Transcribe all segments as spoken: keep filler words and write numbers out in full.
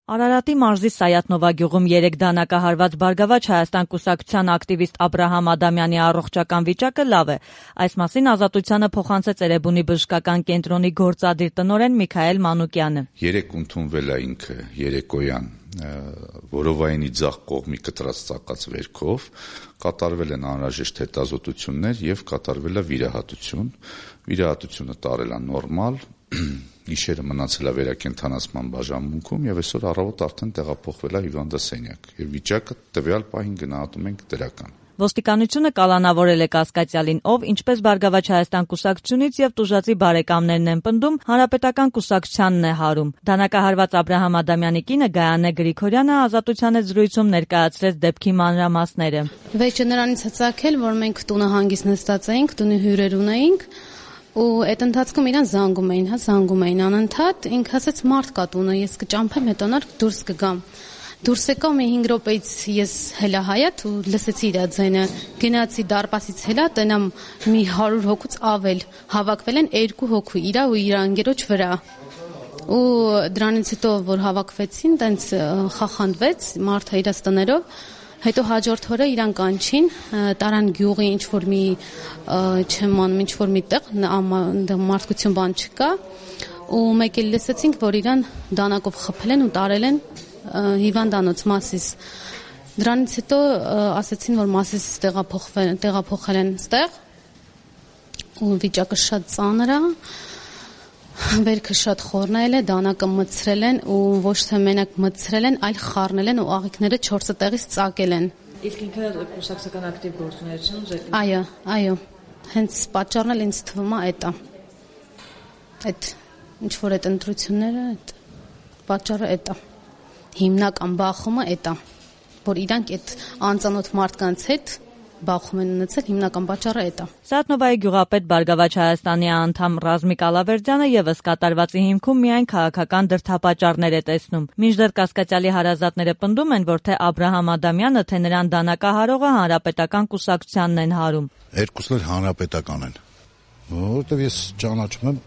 Արարատի մարզի Սայաթնովա գյուղում երեկ դանակահարված Բարգավաճ Հայաստան կուսակցության ակտիվիստ Աբրահամ Ադամյանի առողջական վիճակը լավ է։ Այս մասին Ազատությանը փոխանցեց Էրեբունի բժշկական կենտրոնի գործադիր տնօրեն Միքայել Մանուկյանը։ Երեկ ընդունվել է ինքը երեկոյան որովայնի ձախ կողմի կտրած ծակած վերքով, կատարվել են անհրաժեշտ հետազոտություններ եւ կատարվել է վիրահատություն։ Վիրահատությունը տարել է նորմալ, գիշերը մնացել է վերակենդանացման բաժանմունքում եւ այսօր առավոտ արդեն տեղափոխվել է հիվանդասենյակ եւ վիճակը տվյալ պահին գնահատում ենք դրական։ Ոստիկանությունը կալանավորել է կասկածյալին, ով ինչպես Բարգավաճ Հայաստան կուսակցությունից եւ Տուժածի բարեկամներն են պնդում, հանրապետական կուսակցությանն է հարում։ Դանակահարված Աբրահամ Ադամյանի կինը Գայանե Գրիգորյանը Ազատության հետ զրույցում ներկայացրեց դեպքի մանրամասները։ Վեճը նրանից հծակել, որ մենք տունը հանգիստ նստած էինք, տունի հյուրեր ունեինք, ու այդ ընթացքում իրան զանգում էին, հա, զանգում էին անընդհատ, ինքը ասաց մարդ կա տունը, ես կճամփեմ, հետո նոր դուրս կգամ։ Դուրս եկա մի հինգ րոպեից ես հելա հայաց ու լսեցի իր ձայնը, գնացի դարպասից հելա, տենամ մի հարյուր հոգուց ավել, հավաքվել են երկու հոգու, իրա ու իր անգերոջ վրա։ Ու դրանից հետո որ հավաքվեցին, տենց խախանդվեց մարդը իրաց տներով, հետո հաջորդ օրը իրան կանչին, տարան գյուղի ինչ որ մի չեմ անում, ինչ որ մի տեղ, մարդկություն բան չկա, ու մեկ էլ լսեցինք, որ իրան դանակով խփել են ու տարել են հիվանդանոց Մասիս։ Դրանից հետո ասացին, որ Մասիս տեղափոխվել, տեղափոխել են ստեղ, ու վիճակը շատ ծանր է, վերքը շատ խորնել է, դանակը մտցրել են ու ոչ թե մենակ մտցրել են, այլ խառնել են ու աղիքները չորսը տեղից ծակել են։ Իսկ ինքը կուսակցական ակտիվ գործունեություն ձեր։ Այո, այո։ Հենց պատճառն էլ ինձ թվում է այդ է։ Այդ ինչ որ այդ ընտրությունները, այդ պատճառը այդ է։ Հիմնական բախումը այդ է, որ իրանք այդ անծանոթ մարդկանց հետ բախում են ունեցել, հիմնական պատճառը այդ է։ Սայաթնովայի գյուղապետ Բարգավաճ Հայաստանի անդամ Ռազմիկ Ալավերդյանը եւս կատարվածի հիմքում միայն քաղաքական դրդապատճառներ է տեսնում։ Մինչդեռ կասկածյալի հարազատները պնդում են, որ թե Աբրահամ Ադամյանը, թե նրան դանակահարողը հանրապետական կուսակցությանն են հարում։ Երկուսն էլ հանրապետական են, որովհետեւ ես ճանաչում եմ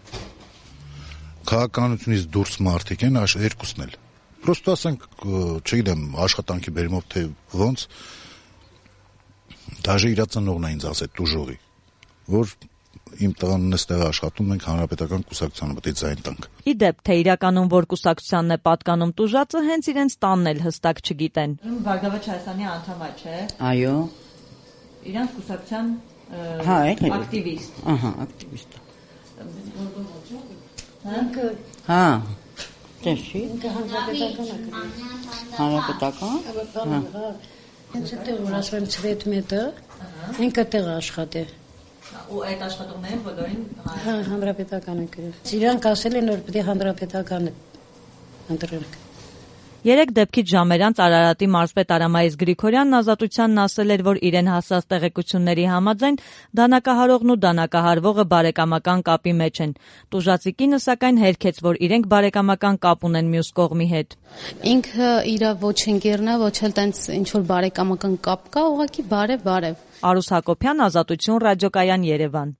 քաղաքականությունից դուրս մարդիկ են, երկուսն էլ։ Պրոստո ասենք, չգիտեմ, աշխատանքի բերումով թե ոնց Դաժե իր ծնողն է ինձ ասել տուժողի, որ իմ տղան այստեղ աշխատում, մենք հանրապետական կուսակցությանը պետք է ձայն տանք։ Ի դեպ, թե իրականում որ կուսակցությանն է պատկանում տուժածը, հենց իրենց տանն էլ հստակ չգիտեն։ Բարգավաճ Հայաստանի անդամ է, չէ՞։ Այո։ Իրանց կուսակցության հա, ակտիվիստ։ Ահա, ակտիվիստ։ Հա։ Տեսի։ Հանրապետական։ Հանրապետական։ Հենց այդտեղ որ ասում եմ ցվետ մետը, ինքը տեղ աշխատե։ Ու այդ աշխատողները բոլորին հա հանրապետական են գրել։ Իրանք ասել են որ պետք է հանրապետականը ընտրենք։ Երեք դեպքից ժամեր անց Արարատի մարզպետ Արամայիս Գրիգորյանն Ազատությանն ասել էր, որ իրեն հասած տեղեկությունների համաձայն դանակահարողն ու դանակահարվողը բարեկամական կապի մեջ են։ Տուժածի կինը սակայն հերքեց, որ իրենք բարեկամական կապ ունեն մյուս կողմի հետ։ Ինքը իր ոչ ընկերն է, ոչ էլ տենց ինչ որ բարեկամական կապ կա, ուղղակի բարև բարև։ Արուս Հակոբյան, Ազատություն ռադիոկայան, Երևան։